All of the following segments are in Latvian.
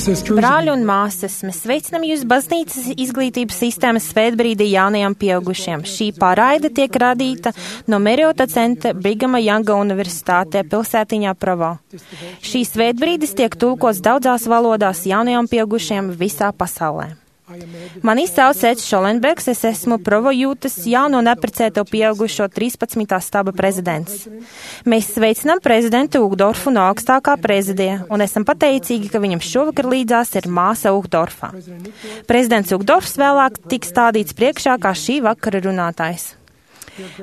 Brāļi un māsas, mēs sveicinām jūs baznīcas izglītības sistēmas svētbrīdī jaunajiem pieaugušiem. Šī pārraide tiek radīta no Meriota centra Brigama Janga universitātē pilsētiņā Provo. Šī svētbrīdis tiek tulkots daudzās valodās jaunajiem pieaugušiem visā pasaulē. Mani sauc Eds Šolenbergs, es esmu Provo jūtas jauno neprecēto pieaugušo 13. staba prezidents. Mēs sveicinām prezidentu Ugdorfu no augstākā prezidija un esam pateicīgi, ka viņam šovakar līdzās ir māsa Ugdorfa. Prezidents Ugdorfs vēlāk tiks stādīts priekšā kā šī vakara runātājs.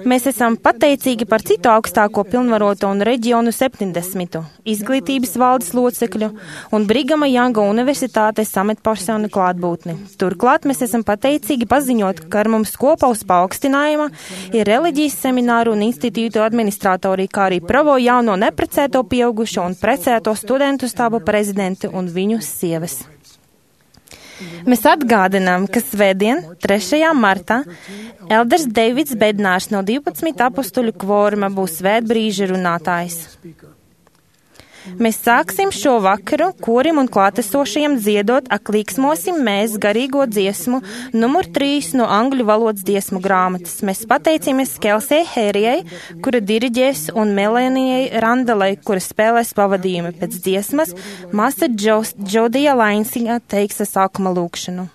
Mēs esam pateicīgi par citu augstāko pilnvaroto un reģionu 70. izglītības valdes locekļu un Brigama Janga universitātes amatpersonu klātbūtni. Turklāt mēs esam pateicīgi paziņot, ka ar mums kopā uz paaugstinājuma ir reliģijas semināru un institūtu administratori, kā arī Provo jauno neprecēto pieaugušo un precēto studentu stābu prezidenti un viņu sievas. Mēs atgādinām, ka svētdien, 3. martā, Elders Deivids Bednārs no 12 apustuļu kvoruma būs svētbrīža runātājs. Mēs sāksim šo vakaru korim un klātesošajiem dziedot Ak līksmosim mēs garīgo dziesmu numur 3 no angļu valodas dziesmu grāmatas. Mēs pateicamies Kelsei Hērijai, kura diriģēs, un Melenijai Randalai, kura spēlēs pavadījumi pēc dziesmas. Māsa Džodija Lainsiņa teiks sākuma lūkšanu.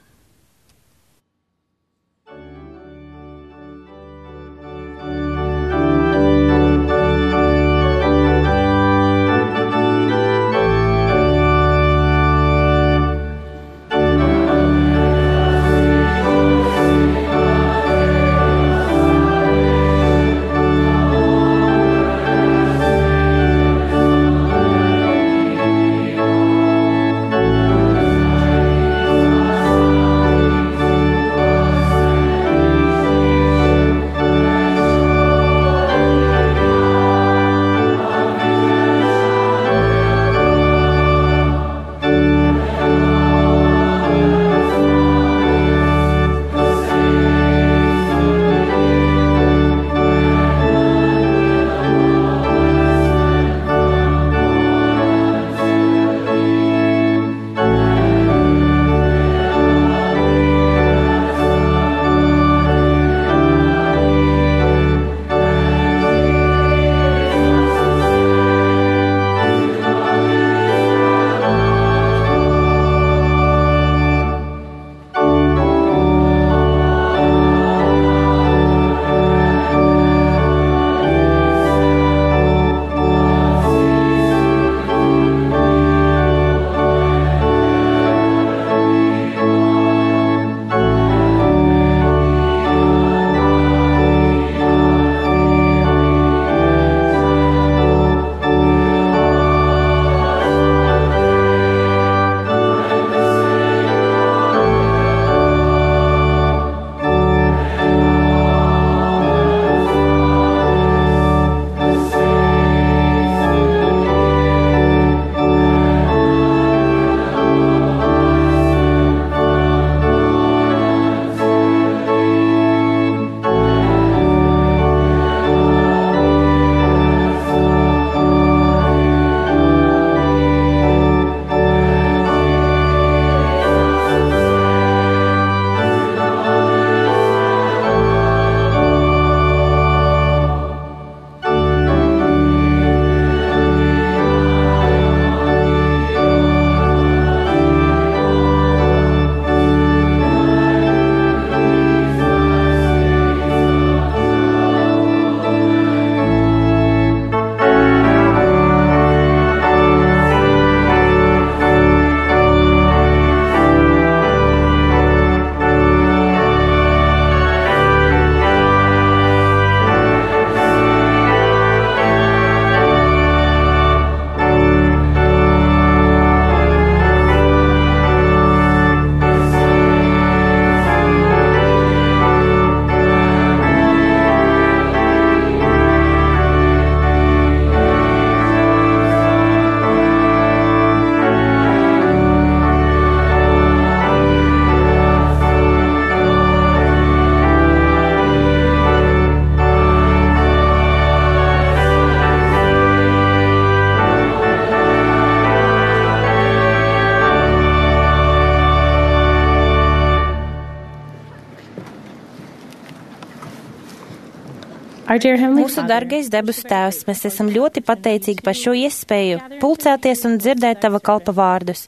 Our dear Heavenly Mūsu Father, dargais debesu Tēvs, mēs esam ļoti pateicīgi par šo iespēju pulcēties un dzirdēt Tava kalpa vārdus.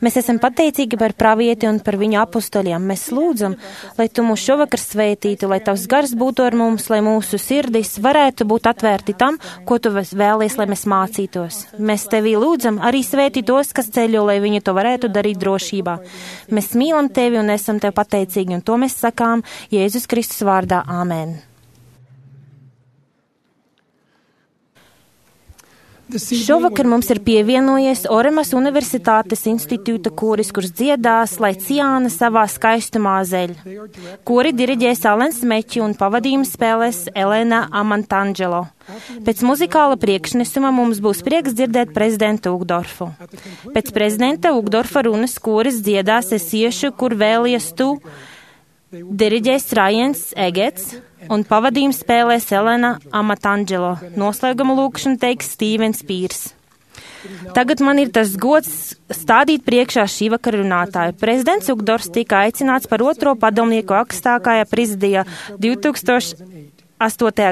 Mēs esam pateicīgi par pravieti un par viņu apustuļiem. Mēs lūdzam, lai Tu mūs šovakar svētītu, lai Tavs gars būtu ar mums, lai mūsu sirdis varētu būt atvērti tam, ko Tu vēlies, lai mēs mācītos. Mēs Tevī lūdzam arī svētī tos, kas ceļo, lai viņi to varētu darīt drošībā. Mēs mīlam Tevi un esam Tev pateicīgi, un to mēs sakām Jēzus Kristus vārdā. Āmen. Šovakar mums ir pievienojies Oremas Universitātes institūta koris, kurš dziedās, lai Ciāna savā skaistumā zeļ. Kori diriģēs Alens Meķi un pavadījumu spēlēs Elena Amantangelo. Pēc muzikāla priekšnesuma mums būs prieks dzirdēt prezidentu Ugdorfu. Pēc prezidenta Ugdorfa runas koris dziedās Es iešu, kur vēlies tu, diriģēs Rajens Egets un pavadījumu spēlēs Elena Amatangelo. Noslēguma lūkšanu teiks Stīvens Pīrs. Tagad man ir tas gods stādīt priekšā šī vakara runātāju. Prezidents Ugdorfs tika aicināts par otro padomnieku augstākajā prezidijā 2008.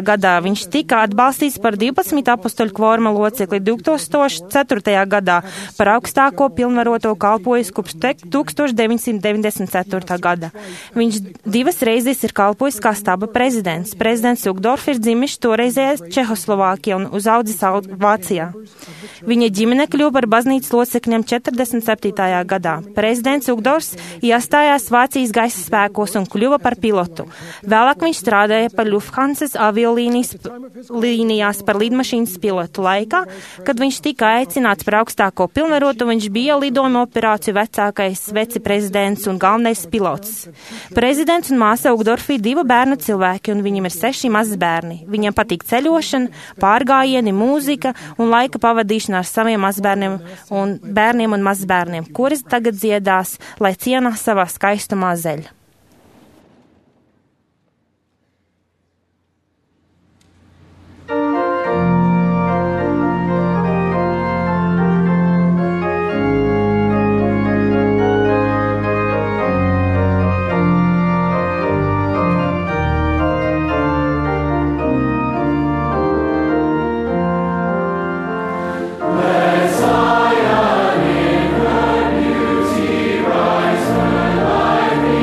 gadā. Viņš tika atbalstīts par 12 apustuļu kvoruma locekli 2004. gadā, par augstāko pilnvaroto kalpojis kopš 1994. gada. Viņš 2 reizes ir kalpojis kā staba prezidents. Prezidents Ugdorfs ir dzimis toreizējā Čehoslovākijā un uzaudzis Vācijā. Viņa ģimene kļuva par baznīcas locekļiem 47. gadā. Prezidents Ugdorfs iestājās Vācijas gaisa spēkos un kļuva par pilotu. Vēlāk viņš strādāja par Lufthansa aviolīnijās par lidmašīnas pilotu laikā, kad viņš tika aicināts par augstāko pilnvarotu, viņš bija lidojuma operāciju vecākais viceprezidents un galvenais pilots. Prezidents un māsa Ugdorfi ir 2 bērnu cilvēki, un viņam ir 6 mazi bērni. Viņam patīk ceļošana, pārgājieni, mūzika un laika pavadīšana ar saviem mazbērniem un bērniem un mazbērniem, kuras tagad dziedās, lai Ciāna savā skaistumā zeļ. Zion in her beauty rise, her life be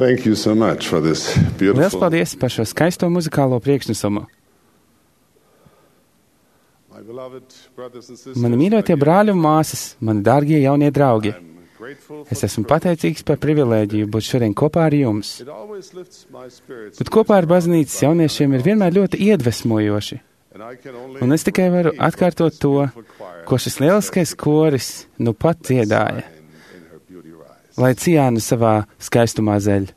Thank you so much for this Liels beautiful. paldies par šo skaisto muzikālo priekšnesumu. My beloved brothers and sisters, Mani mīļotie brāļi un māsas, mani dārgie jaunie draugi, I'm grateful es for esmu pateicīgs par privilēģiju būt šodien kopā ar jums. it always lifts my spirits. Bet kopā ar baznīcas jauniešiem ir vienmēr ļoti iedvesmojoši. And I can only Un es tikai varu atkārtot to, ko šis lieliskais koris nu pat dziedāja, in her beauty rise. lai Ciāna savā skaistumā zeļ.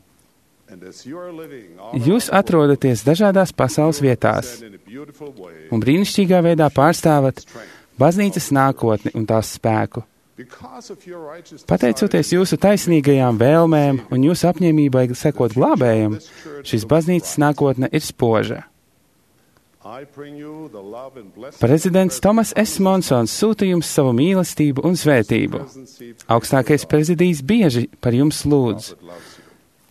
And as you are living Jūs atrodaties dažādās pasaules vietās in a beautiful way un brīnišķīgā veidā pārstāvat baznīcas nākotni un tās spēku. because of your righteous Pateicoties jūsu taisnīgajām vēlmēm un jūsu apņēmībai sekot glābējam, šīs baznīcas nākotne ir spoža. I bring you the love and blessing Prezidents Tomas S. Monsons sūta jums savu mīlestību un svētību. Augstākais prezidijs bieži par jums lūdz. that loves you.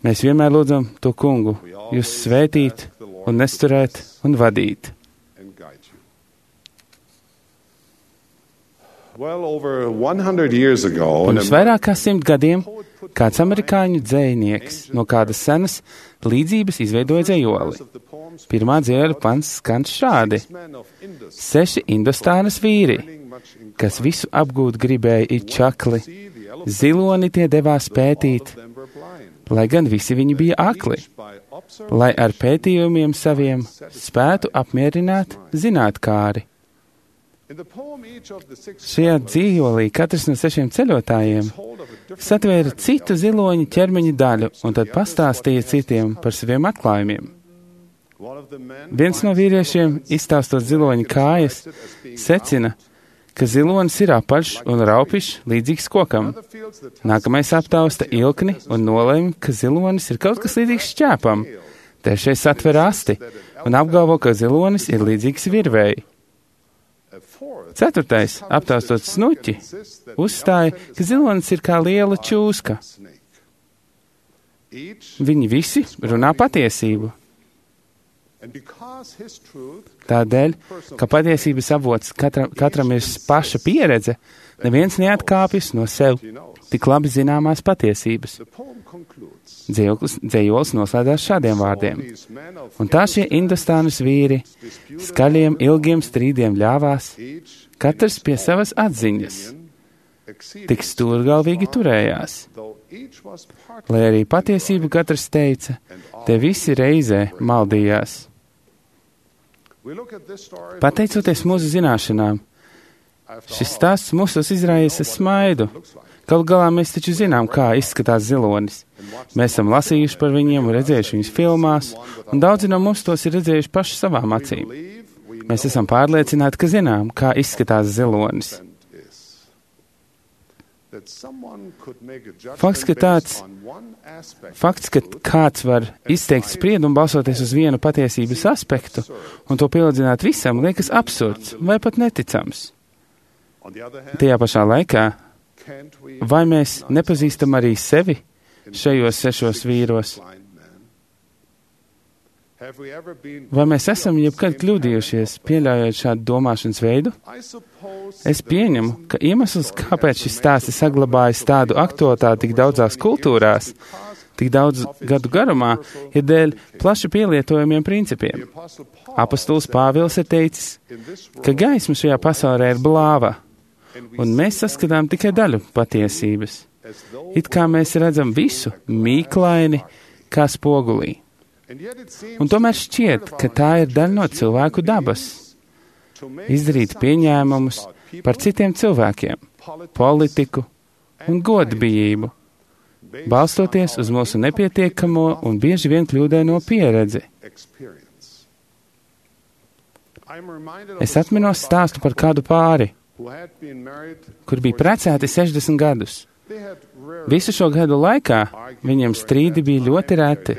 Mēs vienmēr lūdzam to kungu, jūs svētīt un nesturēt un vadīt. And guide you. Well, over 100 years ago, Pirms vairāk kā 100 gadiem kāds amerikāņu dzejnieks no kādas senas līdzības izveidoja dzejoli. Pirmā dzēļu pants skan šādi. 6 Indostānas vīri, kas visu apgūt gribēja it čakli, ziloni tie devās pētīt, lai gan visi viņi bija akli, lai ar pētījumiem saviem spētu apmierināt zinātkāri. Šajā dzīvolī katrs no 6 ceļotājiem satvēra citu ziloņu ķermeņa daļu un tad pastāstīja citiem par saviem atklājumiem. Viens no vīriešiem, izstāstot ziloņa kājas, secina, ka zilonis ir apaļš un raupišs līdzīgs kokam. Nākamais aptausta ilkni un nolēma, ka zilonis ir kaut kas līdzīgs šķēpam. Trešais satver asti un apgalvo, ka zilonis ir līdzīgs virvēji. Ceturtais, aptaustot snuķi, uzstāja, ka zilonis ir kā liela čūska. Viņi visi runā patiesību. Tādēļ, ka patiesības avots katram ir paša pieredze, neviens neatkāpjas no sev tik labi zināmās patiesības. Dzējolis noslēdzās šādiem vārdiem. Un tā šie Indostānas vīri skaļiem, ilgiem strīdiem ļāvās, katrs pie savas atziņas, tik stūrgalvīgi turējās. Lai arī patiesību katrs teica, te visi reizē maldījās. Pateicoties mūsu zināšanām, šis stāsts mūsos izraisa smaidu. Galu galā mēs taču zinām, kā izskatās zilonis. Mēs esam lasījuši par viņiem un redzējuši viņus filmās, un daudzi no mums tos ir redzējuši paši savām acīm. Mēs esam pārliecināti, ka zinām, kā izskatās zilonis. Fakts, ka kāds var izteikt spriedumu balsoties uz vienu patiesības aspektu un to pielīdzināt visam, liekas absurds vai pat neticams. Tajā pašā laikā, vai mēs nepazīstam arī sevi šajos 6 vīros? Vai mēs esam jebkad kļūdījušies, pieļaujot šādu domāšanas veidu? Es pieņemu, ka iemesls, kāpēc šis stāsts ir saglabājis tādu aktualitāti tik daudzās kultūrās, tik daudz gadu garumā, ir dēļ plaši pielietojamiem principiem. Apostols Pāvils ir teicis, ka gaisma šajā pasaulē ir blāva, un mēs saskatām tikai daļu patiesības. It kā mēs redzam visu mīklaini kā spogulī. Un tomēr šķiet, ka tā ir daļa no cilvēku dabas. Izdarīt pieņēmumus par citiem cilvēkiem, politiku un godbijību, balstoties uz mūsu nepietiekamo un bieži vien kļūdaino pieredzi. Es atminos stāstu par kādu pāri, kur bija precēti 60 gadus. Visu šo gadu laikā viņiem strīdi bija ļoti reti,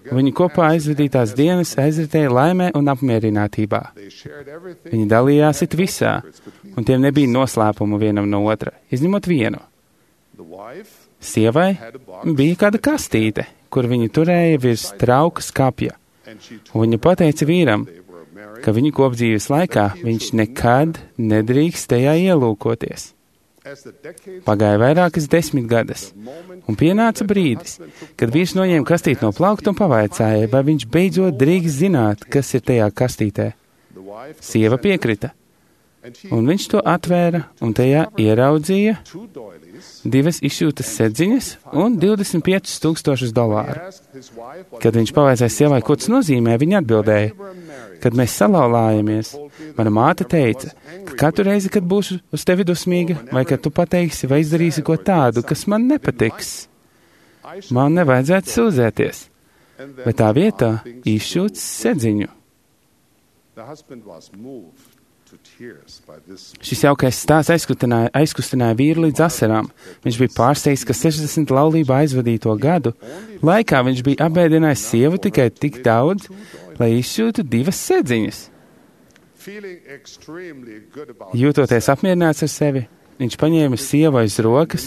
un viņi kopā aizvadītās dienas aizritēja laimē un apmierinātībā. Viņi dalījās it visā, un tiem nebija noslēpumu vienam no otra, izņemot vienu. Sievai bija kāda kastīte, kur viņa turēja virs trauka skapja, un viņa pateica vīram, ka viņu kopdzīves laikā viņš nekad nedrīkst tajā ielūkoties. Pagāja vairākas 10 gadus, un pienāca brīdis, kad vīrs noņēma kastīti no plaukta un pavaicāja, vai viņš beidzot drīkst zināt, kas ir tajā kastītē. Sieva piekrita, un viņš to atvēra, un tajā ieraudzīja 2 izšūtas sedziņas un $25,000. Kad viņš pavaicāja sievai, ko tas nozīmē, viņa atbildēja, kad mēs salauzāmies, mana māte teica, ka katru reizi, kad būšu uz tevi dusmīga, vai kad tu pateiksi vai izdarīsi ko tādu, kas man nepatiks, man nevajadzētu sūdzēties, bet tā vietā izšūt sedziņu. Šis jaukais stāsts aizkustināja vīru līdz asarām. Viņš bija pārsteigts, ka 60 laulībā aizvadīto gadu laikā viņš bija apbēdinājis sievu tikai tik daudz, lai izšūtu 2 sedziņas. Jūtoties apmierināts ar sevi, viņš paņēma sievu aiz rokas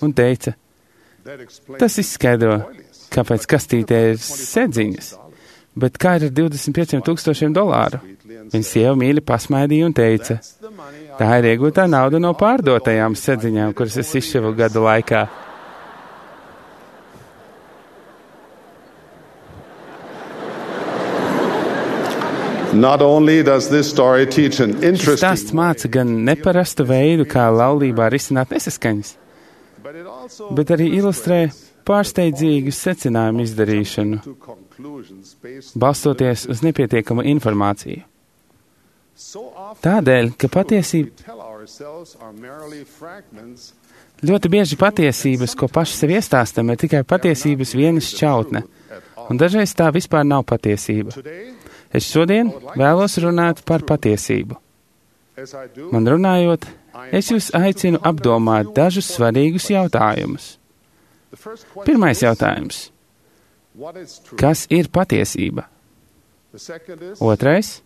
un teica, tas izskaidro, kāpēc kastītē ir sedziņas, bet kā ir ar $25,000? Viņa sieva mīļi pasmaidīja un teica, tā ir iegūtā nauda no pārdotajām sedziņām, kuras es izšuvu gadu laikā. Šis stāsts māca gan neparastu veidu, kā laulībā risināt nesaskaņas, bet arī ilustrē pārsteidzīgu secinājumu izdarīšanu, balstoties uz nepietiekamu informāciju. Tādēļ, ka ļoti bieži patiesības, ko paši sev iestāstam, ir tikai patiesības viena šķautne, un dažreiz tā vispār nav patiesība. Es šodien vēlos runāt par patiesību. Man runājot, es jūs aicinu apdomāt dažus svarīgus jautājumus. Pirmais jautājums. Kas ir patiesība? Otrais.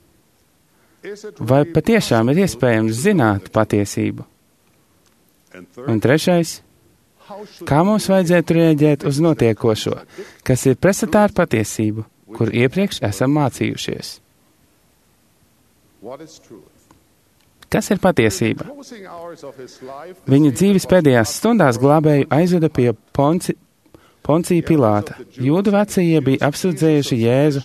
Vai patiešām ir iespējams zināt patiesību? Un trešais. Kā mums vajadzētu rēģēt uz notiekošo, kas ir pretstatā ar patiesību, kur iepriekš esam mācījušies? Kas ir patiesība? Viņa dzīves pēdējās stundās glābēju aizveda pie Poncija Pilāta. Jūdu vecie bija apsūdzējuši Jēzu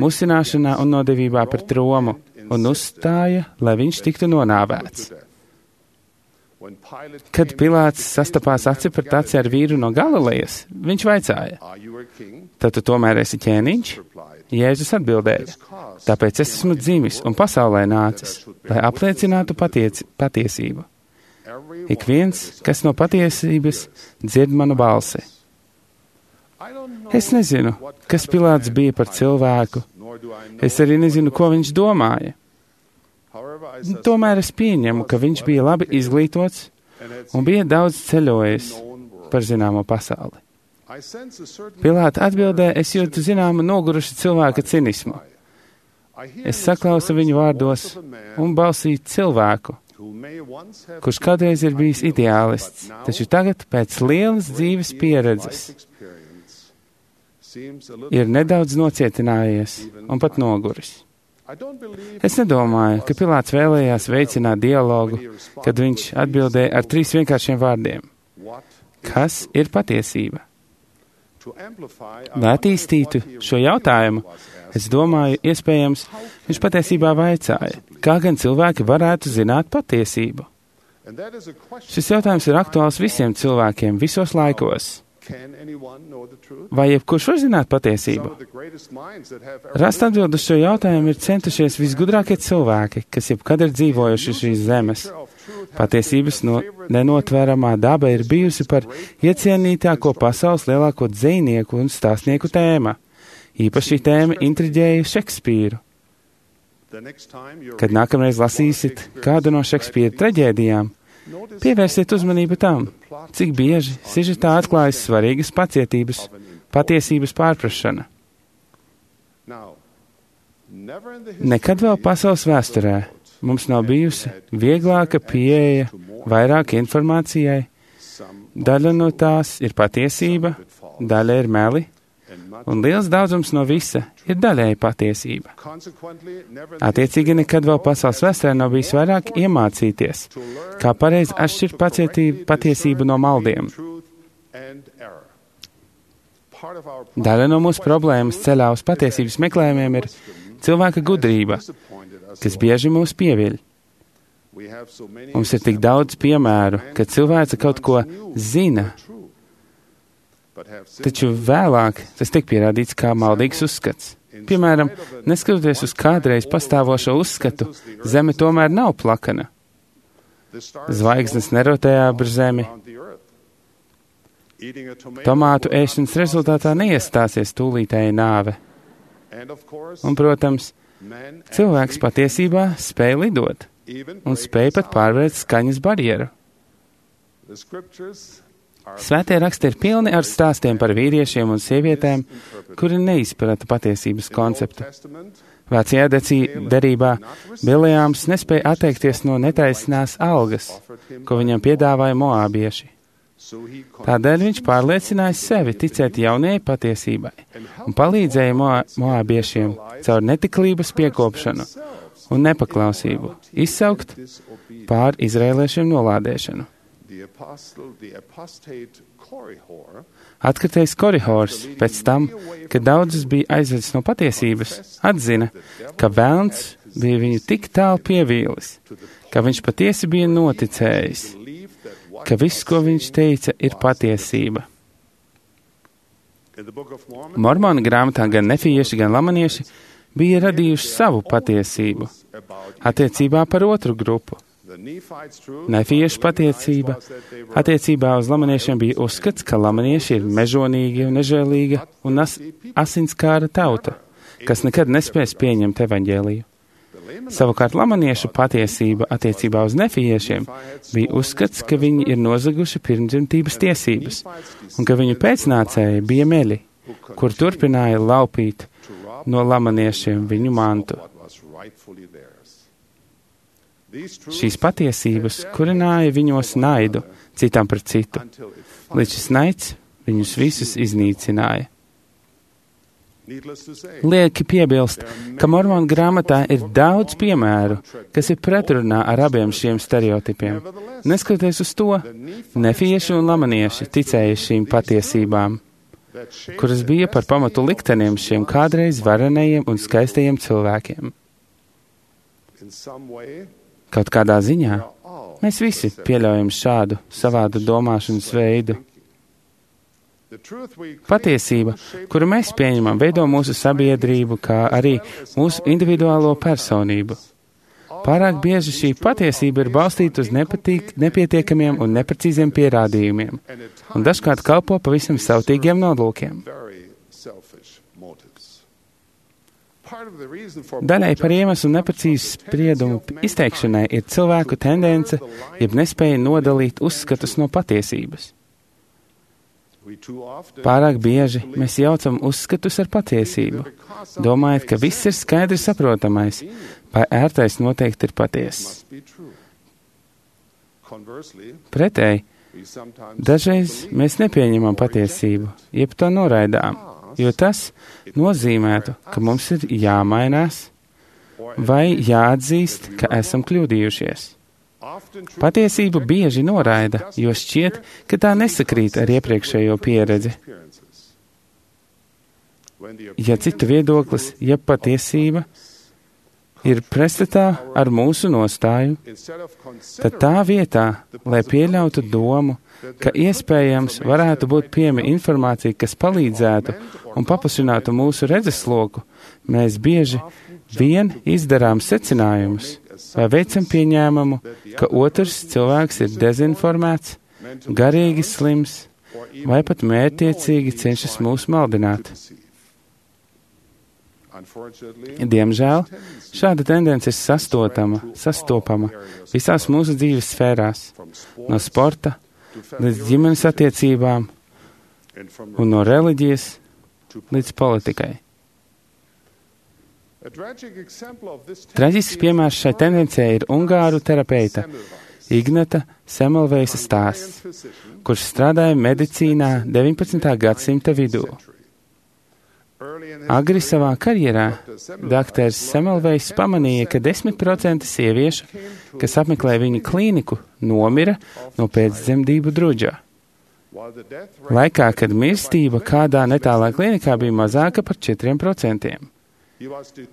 musināšanā un nodevībā par tromu un uzstāja, lai viņš tiktu nonāvēts. Kad Pilāts sastapās aci pret aci ar vīru no Galilejas, viņš vaicāja, tad tu tomēr esi ķēniņš? Jēzus atbildēja, tāpēc es esmu dzimis un pasaulē nācis, lai apliecinātu patiesību. Ik viens, kas no patiesības dzird manu balsi. Es nezinu, kas Pilāts bija par cilvēku. Es arī nezinu, ko viņš domāja. Tomēr es pieņemu, ka viņš bija labi izglītots un bija daudz ceļojis par zināmo pasauli. Pilāta atbildē, es jūtu zināmu noguruši cilvēka cinismu. Es saklausu viņu vārdos un balsī cilvēku, kurš kādreiz ir bijis ideālists, taču tagad pēc lielas dzīves pieredzes ir nedaudz nocietinājies un pat noguris. Es nedomāju, ka Pilāts vēlējās veicināt dialogu, kad viņš atbildēja ar 3 vienkāršiem vārdiem. Kas ir patiesība? Lai attīstītu šo jautājumu, es domāju, iespējams, viņš patiesībā vaicāja, kā gan cilvēki varētu zināt patiesību. Šis jautājums ir aktuāls visiem cilvēkiem visos laikos. Vai jebkurš var zināt patiesību? Rast atbildu uz šo jautājumu ir centušies visgudrākie cilvēki, kas jebkad ir dzīvojuši šīs zemes. Patiesības nenotvēramā daba ir bijusi par iecienītāko pasaules lielāko dzejnieku un stāstnieku tēma. Īpaši šī tēma intriģēja Šekspīru. Kad nākamreiz lasīsit kādu no Šekspīra traģēdijām, pievērsiet uzmanību tam, cik bieži sižetā atklājas svarīgas patiesības pārprašana. Nekad vēl pasaules vēsturē mums nav bijusi vieglāka pieeja vairāk informācijai. Daļa no tās ir patiesība, daļa ir meli, un liels daudzums no visa ir daļēji patiesība. Attiecīgi nekad vēl pasaules vēsturē nav bijis vairāk iemācīties, kā pareizi atšķirt patiesību no maldiem. Daļa no mūsu problēmas ceļā uz patiesības meklējumiem ir cilvēka gudrība, kas bieži mūs pieviļ. Mums ir tik daudz piemēru, ka cilvēks kaut ko zina, taču vēlāk tas tiek pierādīts kā maldīgs uzskats. Piemēram, neskatoties uz kādreiz pastāvošo uzskatu, Zeme tomēr nav plakana. Zvaigznes nerotē ap Zemi. Tomātu ēšanas rezultātā neiestāsies tūlītēja nāve. Un, protams, cilvēks patiesībā spēj lidot un spēj pat pārvērt skaņas barjeru. Svētie raksti ir pilni ar stāstiem par vīriešiem un sievietēm, kuri neizprata patiesības konceptu. Vecajā derībā Bileāms nespēja atteikties no netaisnās algas, ko viņam piedāvāja moābieši. Tādēļ viņš pārliecināja sevi ticēt jaunajai patiesībai un palīdzēja moābiešiem caur netiklības piekopšanu un nepaklausību izsaukt pār izraēliešiem nolādēšanu. Atkritējs Korihors pēc tam, kad daudzus bija aizvedis no patiesības, atzina, ka velns bija viņu tik tālu pievīlis, ka viņš patiesi bija noticējis, ka viss, ko viņš teica, ir patiesība. Mormona grāmatā gan nefieši, gan lamanieši bija radījuši savu patiesību attiecībā par otru grupu. Nefiešu patiesība attiecībā uz lamaniešiem bija uzskats, ka lamanieši ir mežonīgi un nežēlīga un asinskāra tauta, kas nekad nespēs pieņemt evaņģēliju. Savukārt lamaniešu patiesība attiecībā uz nefiešiem bija uzskats, ka viņi ir nozaguši pirmdzimtības tiesības un ka viņu pēcnācēji bija meļi, kur turpināja laupīt no lamaniešiem viņu mantu. Šīs patiesības kurināja viņos naidu citam pret citu, līdz šis naids viņus visus iznīcināja. Lieki piebilst, ka Mormona grāmatā ir daudz piemēru, kas ir pretrunā ar abiem šiem stereotipiem. Neskatoties uz to, nefieši un lamanieši ticēja šīm patiesībām, kuras bija par pamatu likteniem šiem kādreiz varenajiem un skaistajiem cilvēkiem. Kaut kādā ziņā mēs visi pieļaujam šādu savādu domāšanas veidu. Patiesība, kuru mēs pieņemam, veido mūsu sabiedrību, kā arī mūsu individuālo personību. Pārāk bieži šī patiesība ir balstīta uz nepietiekamiem un neprecīziem pierādījumiem, un dažkārt kalpo pavisam savtīgiem nolūkiem. Daļai par iemeslu neprecīzu spriedumu izteikšanai ir cilvēku tendence, jeb nespēja nodalīt uzskatus no patiesības. Pārāk bieži mēs jaucam uzskatus ar patiesību, domājot, ka viss ir skaidri saprotamais, vai ērtais noteikti ir patiess. Pretēji, dažreiz mēs nepieņemam patiesību, jeb to noraidām, jo tas nozīmētu, ka mums ir jāmainās vai jāatzīst, ka esam kļūdījušies. Patiesību bieži noraida, jo šķiet, ka tā nesakrīt ar iepriekšējo pieredzi. Ja citu viedoklis, ja patiesība ir pretstatā ar mūsu nostāju, tad tā vietā, lai pieļautu domu, ka iespējams varētu būt pieejama informācija, kas palīdzētu un paplašinātu mūsu redzesloku, mēs bieži vien izdarām secinājumus vai veicam pieņēmumu, ka otrs cilvēks ir dezinformēts, garīgi slims vai pat mērķtiecīgi cenšas mūs maldināt. Diemžēl šāda tendence ir sastopama visās mūsu dzīves sfērās, no sporta līdz ģimenes attiecībām un no reliģijas līdz politikai. Traģisks piemērs šai tendencē ir ungāru terapeita Ignata Semmelweisa stāsts, kurš strādāja medicīnā 19. gadsimta vidū. Agri savā karjerā dr. Semmelweis pamanīja, ka 10% sieviešu, kas apmeklē viņa klīniku, nomira no pēcdzemdību druģā. Laikā, kad mirstība kādā netālā klīnikā bija mazāka par 4%.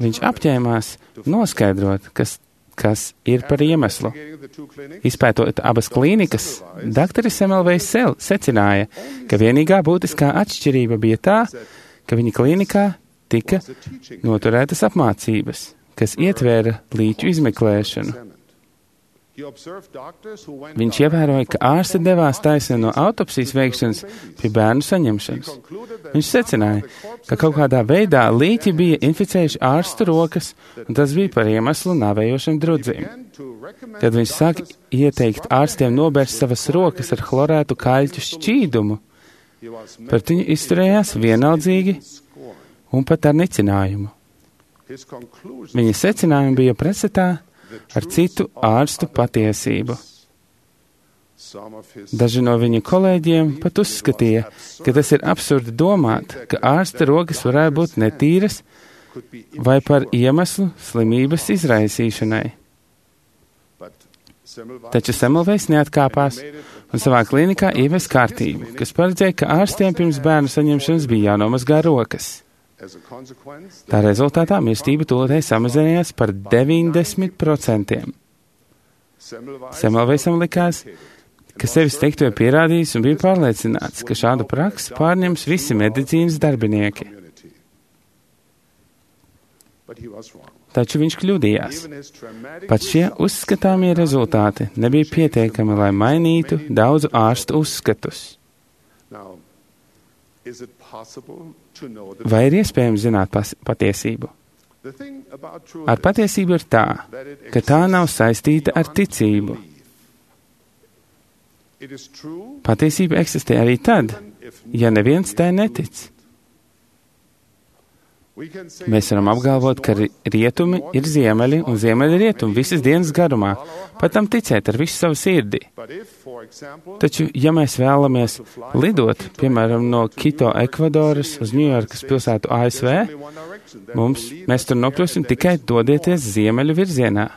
Viņš apņēmās noskaidrot, kas ir par iemeslu. Izpētot abas klīnikas, dr. Semmelweis secināja, ka vienīgā būtiskā atšķirība bija tā, ka viņa klīnikā tika noturētas apmācības, kas ietvēra līķu izmeklēšanu. Viņš ievēroja, ka ārsti devās taisni no autopsijas veikšanas pie bērnu saņemšanas. Viņš secināja, ka kaut kādā veidā līķi bija inficējuši ārstu rokas, un tas bija par iemeslu nāvējošam drudzim. Tad viņš sāka ieteikt ārstiem nobērst savas rokas ar chlorētu kaļķu šķīdumu. Pret viņu izturējās vienaldzīgi un pat ar nicinājumu. Viņa secinājumi bija pretstatā ar citu ārstu patiesību. Daži no viņa kolēģiem pat uzskatīja, ka tas ir absurdi domāt, ka ārsta rokas varētu būt netīras vai par iemeslu slimības izraisīšanai. Taču Semmelweis neatkāpās un savā klīnikā ievies kārtību, kas paredzēja, ka ārstiem pirms bērnu saņemšanas bija jānomazgā rokas. Tā rezultātā mirstība tūlītēji samazinājās par 90%. Semmelweisam likās, ka sevis teikto ir pierādījis un bija pārliecināts, ka šādu praksi pārņems visi medicīnas darbinieki. Taču viņš kļūdījās. Pat šie uzskatāmie rezultāti nebija pietiekami, lai mainītu daudzu ārstu uzskatus. Vai ir iespējams zināt patiesību? Ar patiesību ir tā, ka tā nav saistīta ar ticību. Patiesība eksistē arī tad, ja neviens tai netic. Mēs varam apgalvot, ka rietumi ir ziemeļi un ziemeļi ir rietumi visas dienas garumā, pat tam ticēt ar visu savu sirdi. Taču, ja mēs vēlamies lidot, piemēram, no Kito, Ekvadoras uz Ņujorkas pilsētu ASV, mēs tur nokļūsim tikai dodieties ziemeļu virzienā.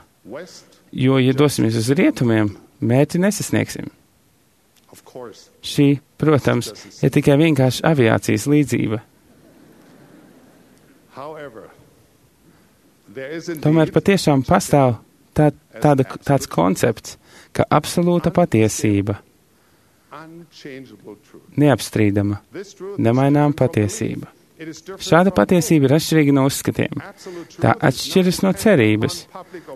Jo, ja dosimies uz rietumiem, mērķi nesasniegsim. Šī, protams, ir tikai vienkārši aviācijas līdzība. Tomēr patiešām pastāv tāds koncepts, ka absolūta patiesība, neapstrīdama, nemainām patiesība. Šāda patiesība ir atšķirīga no uzskatiem. Tā atšķiras no cerības.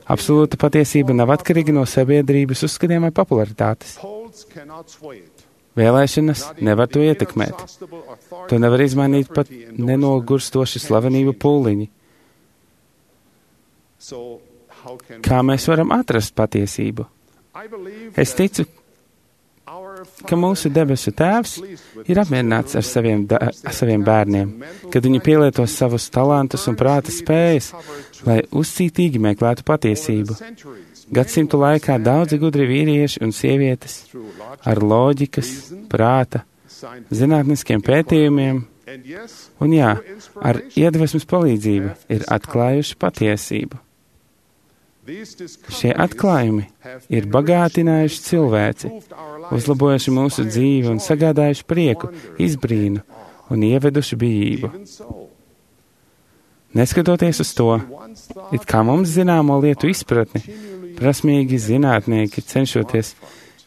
Absolūta patiesība nav atkarīga no sabiedrības uzskatiem vai popularitātes. Vēlēšanas nevar to ietekmēt. To nevar izmainīt pat nenogurstoši slavenību pūliņi. Kā mēs varam atrast patiesību? Es ticu, ka mūsu debesu Tēvs ir apmierināts ar saviem bērniem, kad viņi pielietos savus talantus un prāta spējas, lai uzcītīgi meklētu patiesību. Gadsimtu laikā daudzi gudri vīrieši un sievietes ar loģikas, prāta, zinātniskiem pētījumiem un, ar iedvesmas palīdzību ir atklājuši patiesību. Šie atklājumi ir bagātinājuši cilvēci, uzlabojuši mūsu dzīvi un sagādājuši prieku, izbrīnu un ieveduši bijību. Neskatoties uz to, it kā mums zināmo lietu izpratni, prasmīgi zinātnieki cenšoties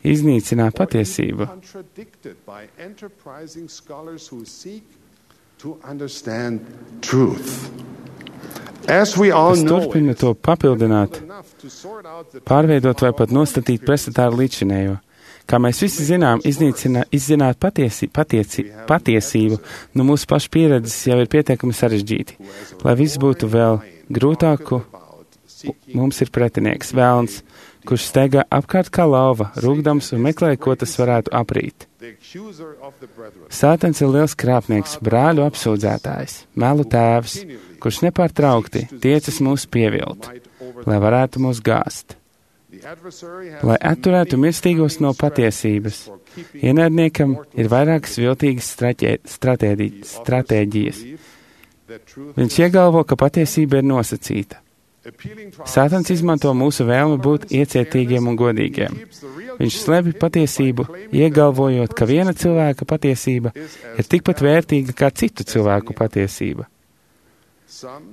iznīcināt patiesību. Es turpinu to papildināt, pārveidot vai pat nostatīt pretstatā ar līdzinējo. Kā mēs visi zinām, izzināt patiesību, no mūsu pašu pieredzes jau ir pietiekami sarežģīti. Lai viss būtu vēl grūtāku, mums ir pretinieks, velns, kurš steigā apkārt kā lauva, rūgdams un meklē, ko tas varētu aprīt. Sātans ir liels krāpnieks, brāļu apsūdzētājs, melu tēvs, kurš nepārtraukti tiecas mūs pievilt, lai varētu mūs gāzt. Lai atturētu mirstīgos no patiesības, ienaidniekam ir vairākas viltīgas stratēģijas. Viņš iegalvo, ka patiesība ir nosacīta. Sātans izmanto mūsu vēlmi būt iecietīgiem un godīgiem. Viņš slēpj patiesību, iegalvojot, ka viena cilvēka patiesība ir tikpat vērtīga kā citu cilvēku patiesība.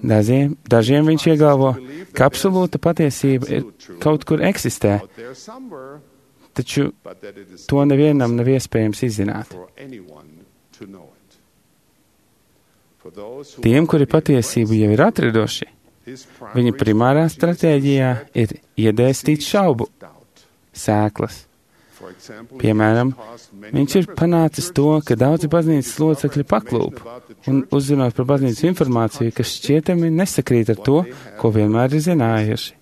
Dažiem viņš iegalvo, ka absolūta patiesība ir kaut kur eksistē, taču to nevienam nav iespējams izzināt. Tiem, kuri patiesību jau ir atraduši, viņa primārā stratēģijā ir iedēstīt šaubu sēklas. Piemēram, viņš ir panācis to, ka daudzi baznīcas locekļi paklūp un uzzinot par baznīcas informāciju, kas šķietami nesakrīt ar to, ko vienmēr ir zinājuši.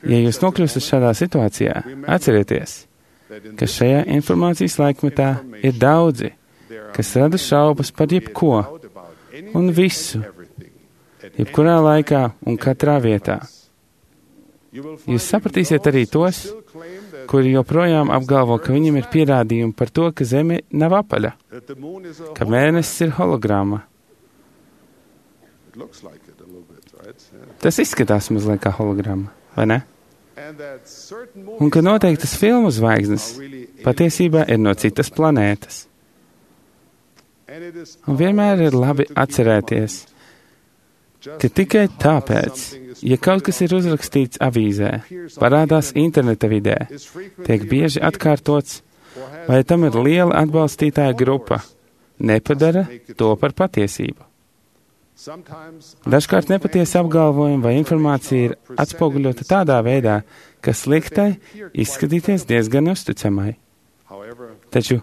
Ja jūs nokļūstat šādā situācijā, atcerieties, ka šajā informācijas laikmetā ir daudzi, kas rada šaubas par jebko un visu, jebkurā laikā un katrā vietā. Jūs sapratīsiet arī tos, kuri joprojām apgalvo, ka viņiem ir pierādījumi par to, ka Zeme nav apaļa, ka mēnesis ir hologramma. Tas izskatās mazliet kā hologramma, vai ne? Un ka noteiktas filmu zvaigznes patiesībā ir no citas planētas. Un vienmēr ir labi atcerēties, ka tikai tāpēc, ja kaut kas ir uzrakstīts avīzē, parādās interneta vidē, tiek bieži atkārtots, vai tam ir liela atbalstītāja grupa, nepadara to par patiesību. Dažkārt nepatiesi apgalvojumi vai informācija ir atspoguļota tādā veidā, kas liek tai izskatīties diezgan uzticamai. Taču,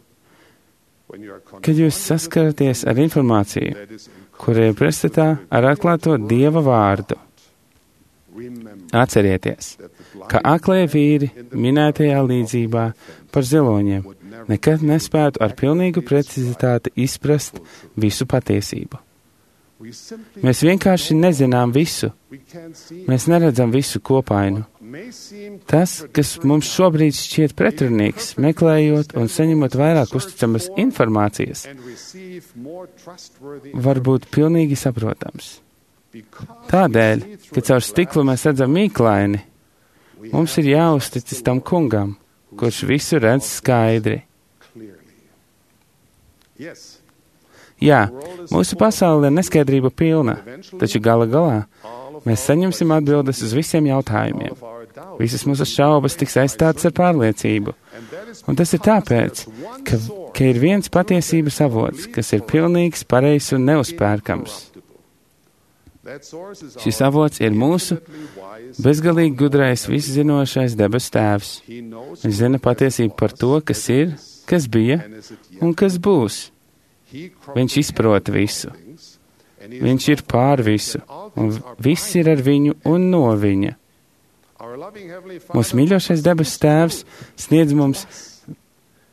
kad jūs saskaraties ar informāciju, kura ir pretstatā ar atklāto Dieva vārdu, atcerieties, ka aklie vīri minētajā līdzībā par ziloņiem nekad nespētu ar pilnīgu precizitāti izprast visu patiesību. Mēs vienkārši nezinām visu. Mēs neredzam visu kopainu. Tas, kas mums šobrīd šķiet pretrunīgs, meklējot un saņemot vairāk uzticamas informācijas, var būt pilnīgi saprotams. Tādēļ, ka caur stiklu mēs redzam mīklaini, mums ir jāuzticas tam kungam, kurš visu redz skaidri. Jā, mūsu pasaule ir neskaidrība pilna, taču gala galā mēs saņemsim atbildes uz visiem jautājumiem. Visas mūsu šaubas tiks aizstātas ar pārliecību. Un tas ir tāpēc, ka ir viens patiesības avots, kas ir pilnīgs, pareizs un neuzpērkams. Šis avots ir mūsu bezgalīgi gudrais, viszinošais debes tēvs. Viņš zina patiesību par to, kas ir, kas bija un kas būs. Viņš izprot visu. Viņš ir pār visu, un viss ir ar viņu un no viņa. Mūsu mīļošais debes tēvs sniedz mums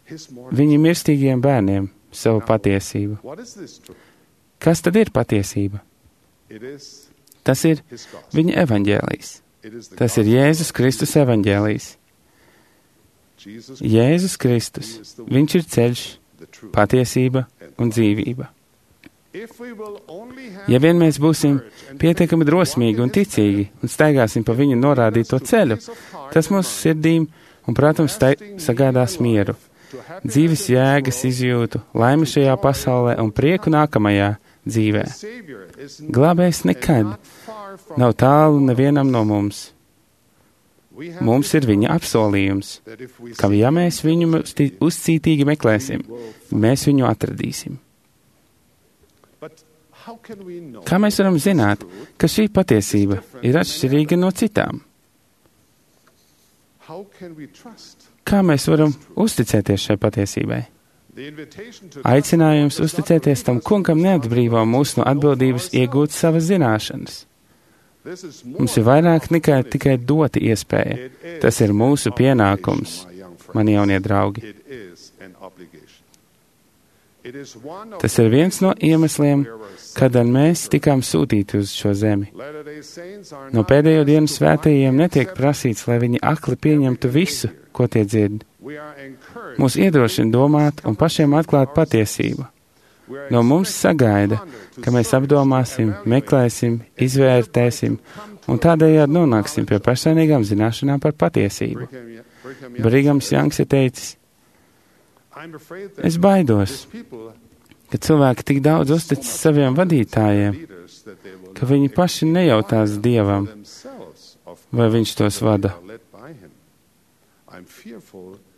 viņa mirstīgiem bērniem savu patiesību. Kas tad ir patiesība? Tas ir viņa evaņģēlijs. Tas ir Jēzus Kristus evaņģēlijs. Jēzus Kristus, viņš ir ceļš, patiesība un dzīvība. Ja vien mēs būsim pietiekami drosmīgi un ticīgi un staigāsim pa viņu norādīto ceļu, tas mūsu sirdīm un, protams, sagādās mieru, dzīves jēgas izjūtu, laimi šajā pasaulē un prieku nākamajā dzīvē. Glābējs nekad nav tālu nevienam no mums. Mums ir viņa apsolījums, ka ja mēs viņu uzcītīgi meklēsim, mēs viņu atradīsim. Kā mēs varam zināt, ka šī patiesība ir atšķirīga no citām? Kā mēs varam uzticēties šai patiesībai? Aicinājums uzticēties tam kungam neatbrīvo mūs no atbildības iegūt savas zināšanas. Mums ir vairāk nekā tikai dota iespēja. Tas ir mūsu pienākums, mani jaunie draugi. Tas ir viens no iemesliem, kādēļ mēs tikām sūtīti uz šo zemi. No pēdējo dienu svētajiem netiek prasīts, lai viņi akli pieņemtu visu, ko tie dzird. Mūs iedrošina domāt un pašiem atklāt patiesību. no mums sagaida, ka mēs apdomāsim, meklēsim, izvērtēsim un tādējādi nonāksim pie personīgām zināšanām par patiesību. Brigams Jangs ir teicis, es baidos, ka cilvēki tik daudz uzticas saviem vadītājiem, ka viņi paši nejautās Dievam, vai viņš tos vada.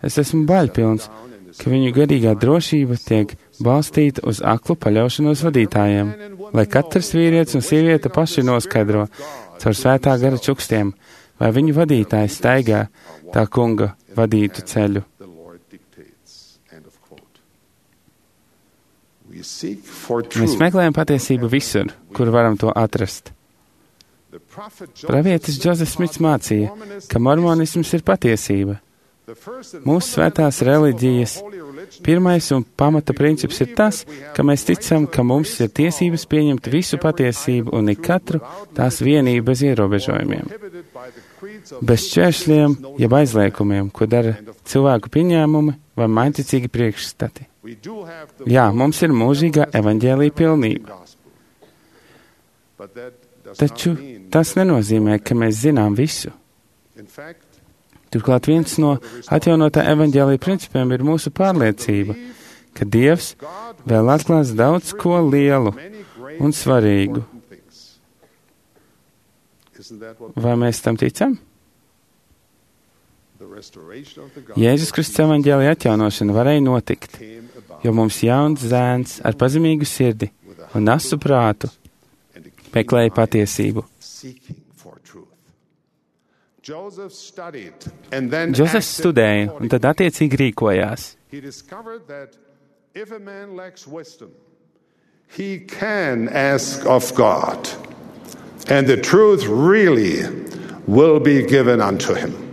Es esmu baļpilns, ka viņu garīgā drošība tiek balstīta uz aklu paļaušanos vadītājiem, lai katrs vīrietis un sieviete paši noskaidro caur svētā gara čukstiem, vai viņu vadītājs staigā tā kunga vadītu ceļu. Mēs meklējam patiesību visur, kur varam to atrast. Pravietis Džozefs Smits mācīja, ka mormonisms ir patiesība. Mūsu svētās reliģijas pirmais un pamata princips ir tas, ka mēs ticam, ka mums ir tiesības pieņemt visu patiesību un ikatru tās vienību bez ierobežojumiem. Bez šķēršļiem, jeb aizliekumiem, ko dara cilvēku pieņēmumi vai mainticīgi priekšstati. Jā, mums ir mūžīgā evaņģēlija pilnība. Taču tas nenozīmē, ka mēs zinām visu. Turklāt viens no atjaunotā evaņģēlija principiem ir mūsu pārliecība, ka Dievs vēl atklās daudz ko lielu un svarīgu. Vai mēs tam ticam? Jēzus Kristus evaņģēlija atjaunošana varēja notikt, jo mums jauns zēns ar pazemīgu sirdi un asu prātu meklēja patiesību. Džozefs studēja un tad attiecīgi rīkojās. He can ask of God, and the truth really will be given unto him.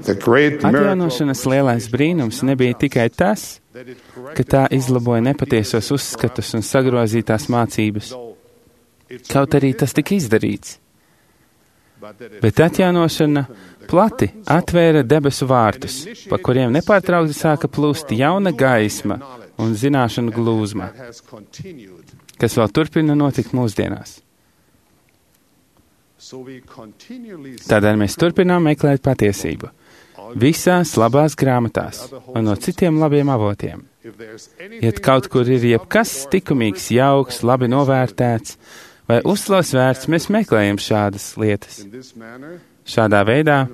Atjaunošanas lielais brīnums nebija tikai tas, ka tā izlaboja nepatiesos uzskatus un sagrozītās mācības, kaut arī tas tika izdarīts. Bet atjaunošana plati atvēra debesu vārtus, pa kuriem nepārtraukti sāka plūst jauna gaisma un zināšanu glūzma, kas vēl turpina notikt mūsdienās. Tādēļ mēs turpinām meklēt patiesību visās labās grāmatās un no citiem labiem avotiem. Ja kaut kur ir jebkas likumīgs, jauks, labi novērtēts vai uzslavas vērts, mēs meklējam šādas lietas. Šādā veidā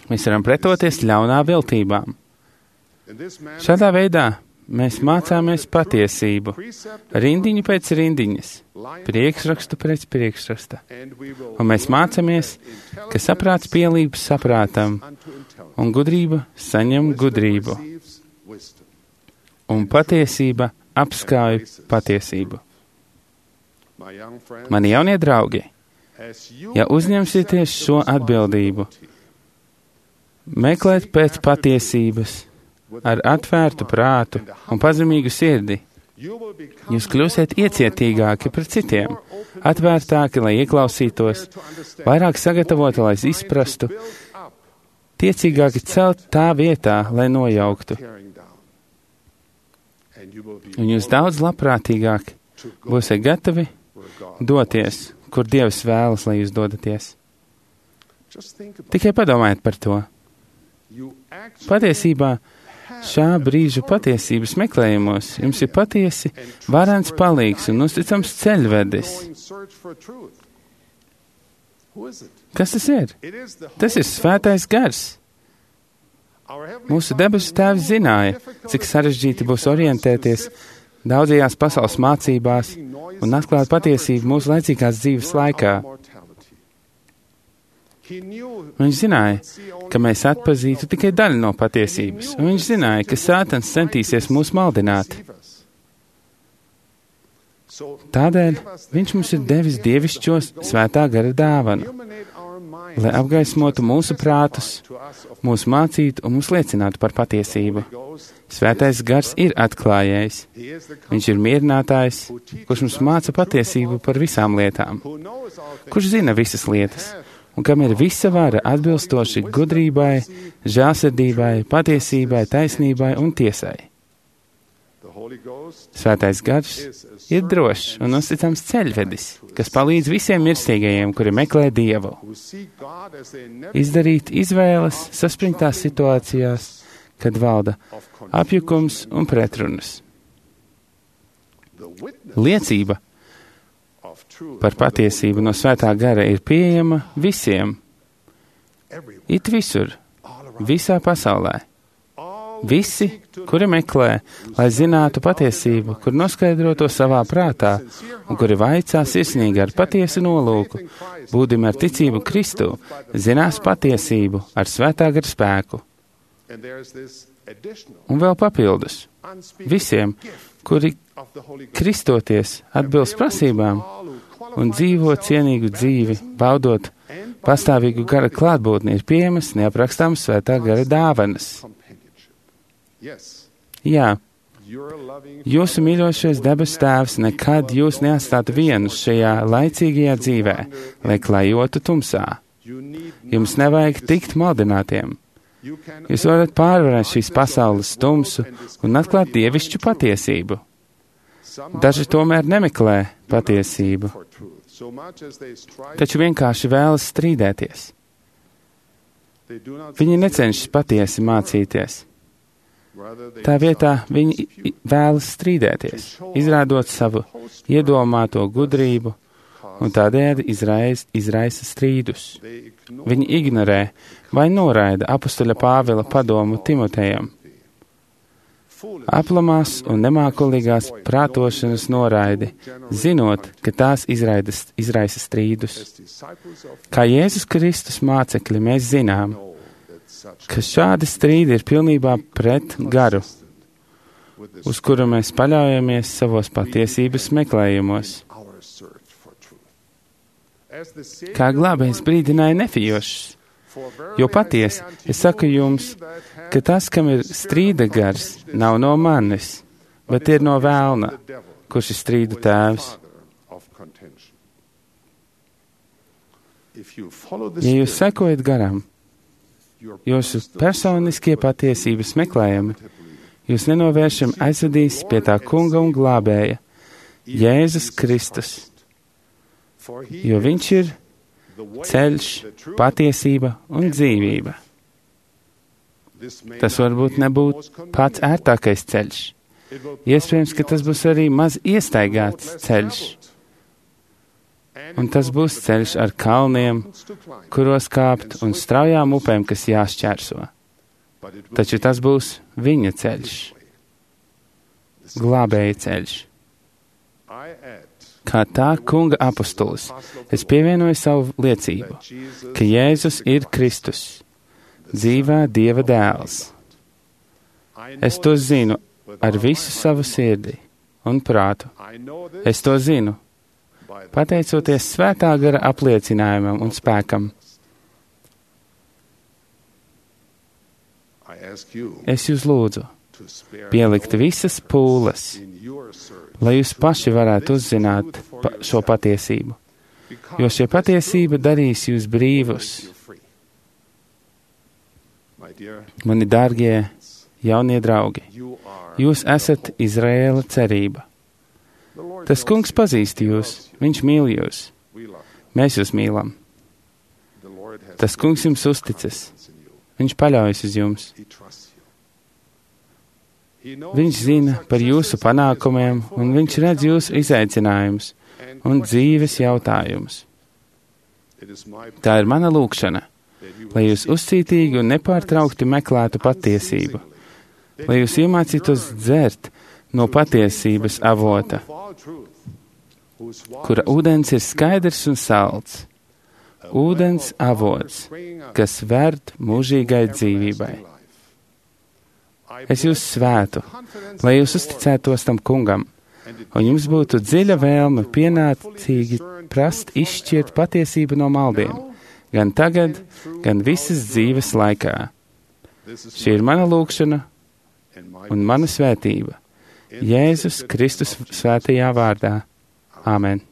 mēs varam pretoties ļaunā viltībām. Šādā veidā mēs mācāmies patiesību, rindiņu pēc rindiņas, priekšrakstu pēc priekšraksta. Un mēs mācāmies, ka saprāts pielīp saprātam, un gudrība saņem gudrību. Un patiesība apskauj patiesību. Mani jaunie draugi, ja uzņemsieties šo atbildību, meklēt pēc patiesības, ar atvērtu prātu un pazemīgu sirdi, jūs kļūsiet iecietīgāki pret citiem, atvērtāki, lai ieklausītos, vairāk sagatavoti, lai izprastu, tiecīgāki celt tā vietā, lai nojauktu. Un jūs daudz labprātīgāki būsiet gatavi doties, kur Dievs vēlas, lai jūs dodaties. Tikai padomājiet par to. Patiesībā šā brīža patiesības meklējumos jums ir patiesi varens palīgs un uzticams ceļvedis. Kas tas ir? Tas ir svētais gars. Mūsu debesu Tēvs zināja, cik sarežģīti būs orientēties daudzajās pasaules mācībās un atklāt patiesību mūsu laicīgās dzīves laikā. Viņš zināja, ka mēs atpazītu tikai daļu no patiesības, un viņš zināja, ka Sātans centīsies mūs maldināt. Tādēļ viņš mums ir devis dievišķos svētā gara dāvanu, lai apgaismotu mūsu prātus, mūs mācītu un mūs liecinātu par patiesību. Svētais gars ir atklājējs. Viņš ir mierinātājs, kurš mums māca patiesību par visām lietām, kurš zina visas lietas, un kam ir visa vara atbilstoši gudrībai, žēlsirdībai, patiesībai, taisnībai un tiesai. Svētais gars ir drošs un uzticams ceļvedis, kas palīdz visiem mirstīgajiem, kuri meklē Dievu. Izdarīt izvēles saspringtās situācijās, kad valda apjukums un pretrunas. Liecība par patiesību no Svētā gara ir pieejama visiem, it visur, visā pasaulē. Visi, kuri meklē, lai zinātu patiesību, kur noskaidro to savā prātā, un kuri vaicā sirsnīgi ar patiesu nolūku, būdami ar ticību Kristu, zinās patiesību ar Svētā gara spēku. Un vēl papildus, visiem, kuri kristoties atbilst prasībām un dzīvo cienīgu dzīvi, baudot pastāvīgu gara klātbūtni, ir pieejamas neaprakstāmas Svētā gara dāvanas. Jā, jūsu mīļošais debes Tēvs nekad jūs neatstātu vienus šajā laicīgajā dzīvē, lai klajotu tumsā. Jums nevajag tikt maldinātiem. Jūs varat pārvarēt šīs pasaules tumsu un atklāt dievišķu patiesību. Daži tomēr nemeklē patiesību, taču vienkārši vēlas strīdēties. Viņi necenšas patiesi mācīties. Tā vietā viņi vēlas strīdēties, izrādot savu iedomāto gudrību un tādējādi izraisa strīdus. Viņi ignorē vai noraida apustuļa Pāvila padomu Timotejam. Aplamās un nemākulīgās prātošanas noraidi, zinot, ka tās izraisa strīdus. Kā Jēzus Kristus mācekļi mēs zinām, ka šādi strīdi ir pilnībā pret garu, uz kuru mēs paļaujamies savos patiesības meklējumos. Kā glābējs brīdināja nefijošus, jo patiesi es saku jums, ka tas, kam ir strīda gars, nav no manis, bet ir no vēlna, kurš ir strīdu tēvs. Ja jūs sekojat garam, jūsu personiskie patiesības meklējumi, jūs nenovēršam aizvedīs pie tā kunga un glābēja, Jēzus Kristus, jo viņš ir ceļš, patiesība un dzīvība. Tas varbūt nebūtu pats ērtākais ceļš. Iespējams, ka tas būs arī maz iestaigāts ceļš. Un tas būs ceļš ar kalniem, kuros kāpt, un straujām upēm, kas jāšķērso. Taču tas būs viņa ceļš, glābēja ceļš. Kā tā kunga apostolis, es pievienoju savu liecību, ka Jēzus ir Kristus, dzīvā Dieva dēls. Es to zinu ar visu savu sirdi un prātu. Es to zinu, pateicoties Svētā gara apliecinājumam un spēkam. Es jūs lūdzu pielikt visas pūles, lai jūs paši varētu uzzināt šo patiesību, jo šī patiesība darīs jūs brīvus. Mani dārgie jaunie draugi, jūs esat Izraēla cerība. Tas kungs pazīst jūs, viņš mīl jūs. Mēs jūs mīlam. Tas kungs jums uzticas. Viņš paļaujas uz jums. Viņš zina par jūsu panākumiem, un viņš redz jūsu izaicinājumus un dzīves jautājumus. Tā ir mana lūgšana, lai jūs uzcītīgi un nepārtraukti meklētu patiesību, lai jūs iemācītos dzert no patiesības avota, kura ūdens ir skaidrs un salds, ūdens avots, kas verd mūžīgai dzīvībai. Es jūs svētu, lai jūs uzticētos tam kungam, un jums būtu dziļa vēlme pienācīgi prast izšķirt patiesību no maldiem, gan tagad, gan visas dzīves laikā. Šī ir mana lūgšana un mana svētība. Jēzus Kristus svētajā vārdā. Āmen.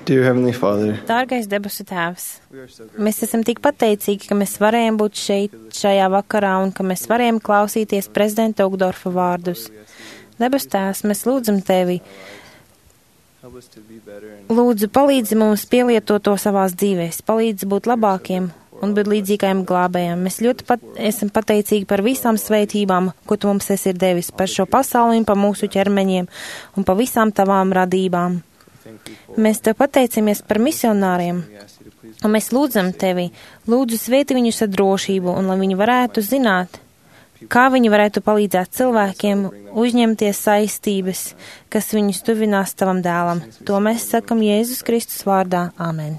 Dear Heavenly Father, Dārgais debesu Tēvs, mēs esam tik pateicīgi, ka mēs varējām būt šeit šajā vakarā un ka mēs varējām klausīties prezidenta Ugdorfa vārdus. Debesu Tēvs, mēs lūdzam Tevi, lūdzu palīdzi mums pielietot to savās dzīvēs, palīdzi būt labākiem un būt līdzīgajiem glābējiem. Mēs ļoti esam pateicīgi par visām svētībām, ko Tu mums esi devis, par šo pasauli un par mūsu ķermeņiem un par visām Tavām radībām. Mēs Tev pateicamies par misionāriem, un mēs lūdzam Tevi, lūdzu svētī viņus ar drošību, un lai viņi varētu zināt, kā viņi varētu palīdzēt cilvēkiem uzņemties saistības, kas viņus tuvinās Tavam dēlam. To mēs sakam Jēzus Kristus vārdā. Āmen.